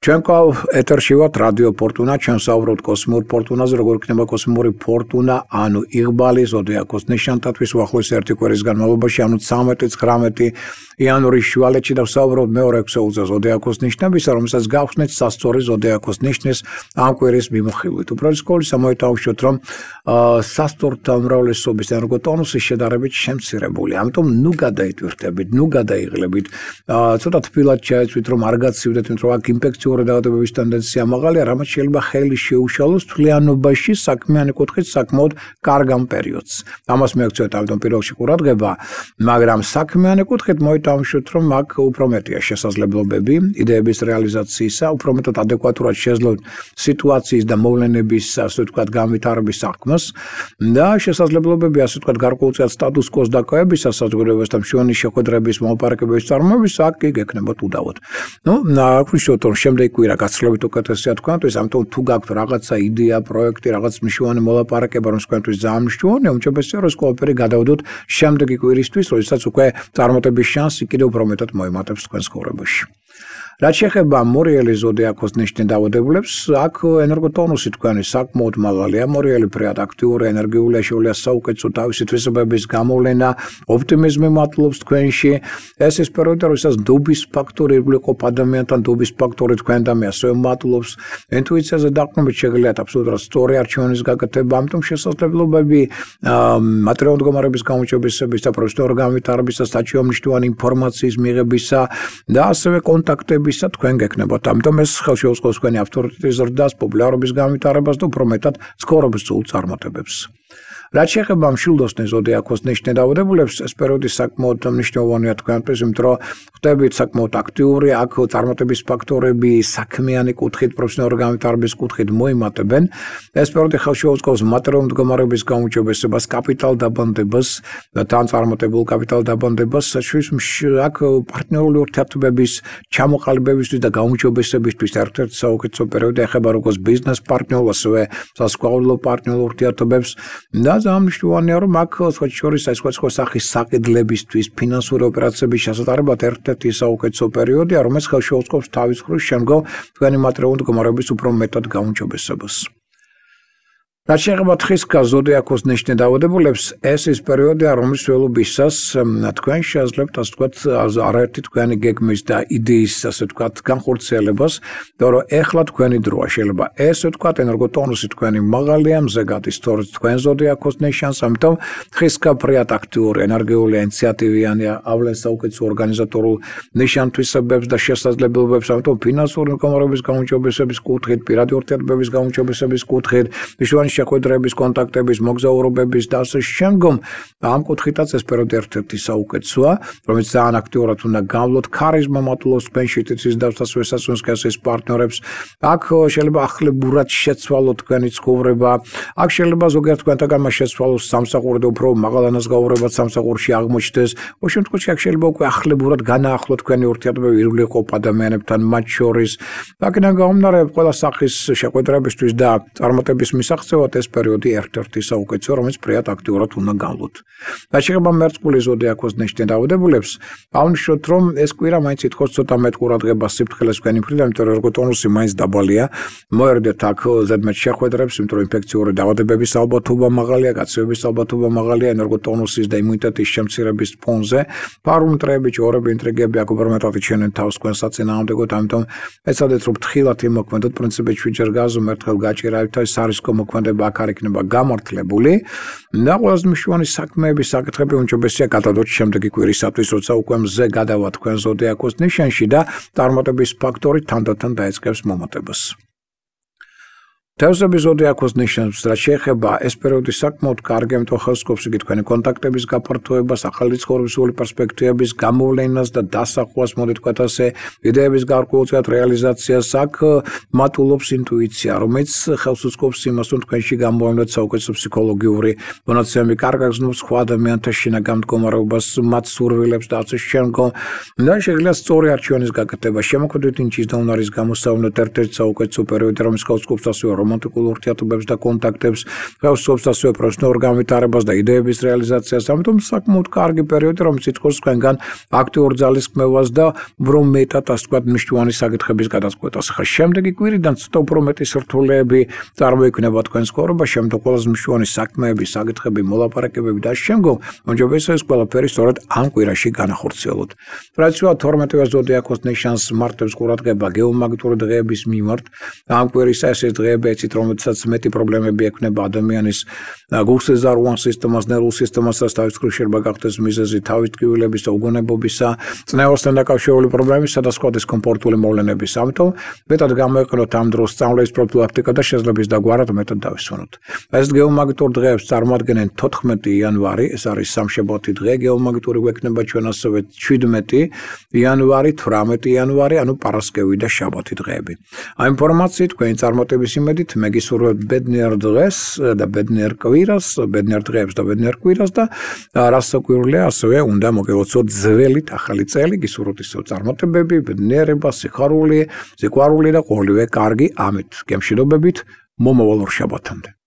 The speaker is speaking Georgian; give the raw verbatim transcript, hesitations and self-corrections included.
ჩვენ ყავ ეთერში ვართ რადიო ფორტუნა, ჩვენ საუბრობთ კოსმურ ფორტუნაზე, როგორ იქნება კოსმური ფორტუნა, ანუ იღბალი ზოდიაქოს ნიშანთათვის უახლოესი ერთი კვირის განმავლობაში, ანუ ცხრამეტი ცხრამეტი იანვრის შუალედში და ვსაუბრობთ მეორე ექვსეულზე ზოდიაქოს ნიშნებისა, რომელსაც გავხსნით სასწორი ზოდიაქოს ნიშნის ამ კვირის მიმოხილვით. უპირველეს ამოიტავშოთ, რომ სასწორთა უმრავლესობის ენერგოტონუსი შედარებით შემცირებული, ამიტომ ნუ გადაიტვირთებით, ნუ გადაიღლებით. ცოტა თბილად ჩაეცვით, რომ არ გაცივდეთ, იმიტომ რომ აქ ინფექციური დაავადებების ტენდენცია მაღალია, რამაც შეიძლება ხელი შეუშალოს თვლიანობაში საქმიანი კუთხით საკმაოდ კარგ ამ პერიოდს. ამას მიაქცევთ ამიტომ პირველში ყურადღება, მაგრამ საქმიანი კუთხით მოიტავშოთ, რომ აქ უფრო მეტია შესაძლებლობები იდეების რეალიზაციისა, უფრო მეტად ადეკვატურად შეძლოთ სიტუაციის და მოვლენების, ასე ვთქვათ, განვითარების საქმეს და შესაძლებლობები, ასე ვთქვათ, გარკვეულწილად სტატუს კოს დაკავებისა საზოგადოებასთან მშვენი შეხვედრების მოპარაკებების წარმოების აქ კი გექნებათ უდავოდ. ნუ აქ ვიშოთ, რომ შემდეგი კვირა გაცილებით უკეთესია თქვენთვის, ამიტომ თუ გაქვთ რაღაცა იდეა, პროექტი, რაღაც მნიშვნელოვანი მოლაპარაკება, რომ თქვენთვის ძალიან მნიშვნელოვანია, უმჯობესია, რომ ყველაფერი გადავდოთ შემდეგი კვირისთვის, როდესაც უკვე წარმატების შანსი კიდევ უფრო მეტად მოიმატებს თქვენს ცხოვრებაში. რაც შეეხება მორიელი ზოდიაქოს ნიშნის დაავადებულებს, აქ ენერგოტონუსი თქვენი საკმაოდ მაღალია, მორიელი ფრიად აქტიური, ენერგიულია, შეუძლია საუკეთესო თავისი თვისებების გამოვლენა, ოპტიმიზმი მატლობს თქვენში. ეს ის პერიოდი, როდესაც დობის ფაქტორი ირგვლივ ადამიანთან დობის ფაქტორი თქვენთან ასევე მატლობს. ინტუიციაზე დაყრდნობით შეგიძლიათ აბსოლუტურად სწორი არჩევანის გაკეთება, ამიტომ შესაძლებლობები მატერიალური მდგომარეობის გამოჩებისების და პროფესიონალური განვითარებისა, საჩივო მნიშვნელოვანი ინფორმაციის მიღებისა და ასევე კონტაქტების თქვენ გექნებათ. ამიტომ ეს ხელშეუწყობს თქვენი ავტორიტეტის ზრდას, პოპულარობის განვითარებას და უფრო მეტად ცხოვრებისწულ წარმატებებს. რაც შეეხება მშვილდოსნის ზოდიაქოს ნიშნის დაავადებულებს, ეს პერიოდი საკმაოდ მნიშვნელოვანია თქვენთვის, იმიტომ რომ ხდებით საკმაოდ აქტიური, აქ წარმატების ფაქტორები საქმიანი კუთხით, პროფესიონალური განვითარების კუთხით მოიმატებენ. ეს პერიოდი ხელშეუწყობს მატერიალური მდგომარეობის გაუმჯობესებას, კაპიტალ დაბანდებას და თან წარმატებულ კაპიტალ დაბანდებას, აქ პარტნიორული ურთიერთობების ჩამოყალიბებისთვის და გაუმჯობესებისთვის ერთ-ერთი საუკეთესო პერიოდი ეხება როგორც ბიზნეს პარტნიორულ, ასევე სასწავლო პარტნიორულ ურთიერთობებს და ძალიან მნიშვნელოვანია, რომ აქ სხვა შორის სხვა სახის საყიდლებისთვის, ფინანსური ოპერაციების შესატარებლად ერთ-ერთი საუკეთესო პერიოდია, რომელიც ხელშეუწყობს თავის მხრივ შემდგომ თქვენი მატერიალური მდგომარეობის უფრო მეტად გაუმჯობესებას. რაც შეეხება თხისქა ზოდიაქოს ნიშნის დაავადებულებს, ეს ის პერიოდია, რომლის ველობისას თქვენ შეძლებთ, ასე ვთქვათ, არაერთი თქვენი გეგმის და იდეის, ასე ვთქვათ, განხორციელებას, და რომ ეხლა თქვენი დროა. შეიძლება ესე ვთქვათ, ენერგოტონუსი თქვენი მაღალია, მზე გადის სწორედ თქვენ ზოდიაქოს ნიშანს, ამიტომ თხისქა ფრიად აქტიური, ენერგიული, ინიციატივიანი, ავლენს საუკეთესო ორგანიზატორულ ნიშანთვისებებს და შესაძლებლობებს, ამიტომ ფინანსური მდგომარეობის გაუმჯობესების კუთხით, პირადი ურთიერთობების გაუმჯობესების კუთხით, მნიშვნელოვანი შეხვედრების, კონტაქტების, მოგზაურობების და ასე შემდგომ ამ კუთხითაც ეს პერიოდი ერთ-ერთი საუკეთესოა, რომელიც ძალიან აქტიურად უნდა გამლოთ, ქარიზმა მატლობს თქვენში თითის დავსას ვესაცუნს კასის პარტნიორებს. აქ შეიძლება ახლებურად შეცვალოთ თქვენი ცხოვრება, აქ შეიძლება ზოგიერთ თქვენთაგან მას შეცვალოს სამსახური და უფრო მაღალანას გაუღებად სამსახურში აღმოჩნდეს. ოღონდ შემთხვევაში აქ შეიძლება უკვე ახლებურად განაახლოთ თქვენი ურთიერთობები ირგვლივ ყოფ ადამიანებთან მათ შორის. აქედან გამომდინარე, ყველა სახის შეხვედრებისთვის და წარმატების მისაღწევად ეს პერიოდი ერთ-ერთი საუკეთესო, რომელიც ფრიად აქტიურად უნდა გამლოთ. რაც შეეხება მერწყული ზოდიაქოს ნიშნის დაავადებულებს, აღნიშნოთ, რომ ეს კვირა მაინც ითხოვს ცოტა მეტ ყურადღებას სიფრთხილეს თქვენი მხრიდან, იმიტომ რომ ენერგოტონუსი მაინც დაბალია. მოერდეთ აქ ზედმეტ შეხვედრებს, იმიტომ რომ ინფექციური დაავადებების ალბათობა მაღალია, გაცივების ალბათობა მაღალია ენერგოტონუსის და იმუნიტეტის შემცირების ფონზე. პარამეტრები, ჯორები, ინტრიგები აქ უფრო მეტად იჩენენ თავს თქვენ საწინააღმდეგოდ, ამიტომ ეცადეთ, რომ ფრთხილად იმოქმედოთ, პრინციპით შვიდჯერ გაზომ ერთხელ გაჭირავთ, ეს არისკო მოქმედება აქ არ იქნება გამართლებული და ყველაზე მნიშვნელოვანი საქმეების საკითხები უმჯობესია გადადოთ შემდეგი კვირისათვის, როცა უკვე მზე გადავა თქვენ ზოდიაქოს ნიშანში და წარმატების ფაქტორი თანდათან დაეწყებს მომატებას. თევზების ზოდიაქოს ნიშნებს, რაც შეეხება ეს პერიოდი საკმაოდ კარგი, ამიტომ ხელსკობს იგი თქვენი კონტაქტების გაფართოებას, ახალი ცხოვრებისეული პერსპექტივების გამოვლენას და დასახვას, მოდით ვთქვათ ასე, იდეების გარკვეულწილად რეალიზაციას. აქ მატულობს ინტუიცია, რომელიც ხელს უწყობს იმას, რომ თქვენში გამოვლენოთ საუკეთესო ფსიქოლოგიური მონაცემები, კარგად გრძნობს სხვა ადამიანთა შინაგან მდგომარეობას, მათ სურვილებს და ასე შემდგომ. და შეგიძლიათ სწორი არჩევანის გაკეთება, შემოქმედებით ნიჭის და უნარის გამოსავლენად ერთ-ერთი საუკეთესო პერიოდი, რომელიც ხელს უწყობს ასევე რომანტიკულ ურთიერთობებს და კონტაქტებს, ხელსობს ასევე პროფესიონალურ განვითარებას და იდეების რეალიზაციას. ამიტომ საკმაოდ კარგი პერიოდი, რომელიც იწვევს თქვენგან აქტიურ ძალისხმევას და უფრო მეტად, ასე ვთქვათ, მნიშვნელოვანი საკითხების გადაწყვეტას. ხა შემდეგი კვირიდან ცოტა უფრო მეტი სირთულეები წარმოიქმნება თქვენს ცხოვრებაში, ამიტომ ყველაზე მნიშვნელოვანი საქმეები, საკითხები, მოლაპარაკებები და შემდგომ მომჯობესია ეს ყველაფერი სწორედ ამ კვირაში განახორციელოთ. ტრადიციულად თორმეტე ზოდიაქოს ნიშანს მარტებს ყურადღება გეომაგნიტური დღეების მიმართ. ამ კვირის ეს დღეები ეცით, რომელსაც მეტი პრობლემები ექმნება ადამიანის გულსეზარუან სისტემას, ნერვულ სისტემასაც, თავის მხრივ შეიძლება გახდეს მიზეზი თავის ტკივილების და უგონებობისა, წნევასთან დაკავშირებული პრობლემისა და სხვა დისკომფორტული მოვლენების. ამიტომ მეტად გამოიყენოთ ამ დროს სწავლის პროფილაქტიკა და შეძლებს დაგვარად მეტად დავისვენოთ. ეს გეომაგნიტურ დღეებს წარმოადგენენ თოთხმეტი იანვარი, ეს არის სამშაბათი დღე, გეომაგნიტური გვექნება ჩვენ ასევე შვიდმეტი იანვარი, თვრამეტი იანვარი, ანუ პარასკევი და შაბათი დღეები. ამ ინფორმაციით თქვენი წარმატების იმედით მე გისურვებთ ბედნიერ დღეს და ბედნიერ კვირას, ბედნიერ დღეებს და ბედნიერ კვირას და რაც კვირლია, ასევე უნდა მოგელოცოთ ძველით ახალი წელი, გისურვებთ ისევ წარმატებები, ბედნიერება, სიხარული, სიყვარული და ყოველივე კარგი ამით. გემშვიდობებით, მომავალ ორ შაბათამდე.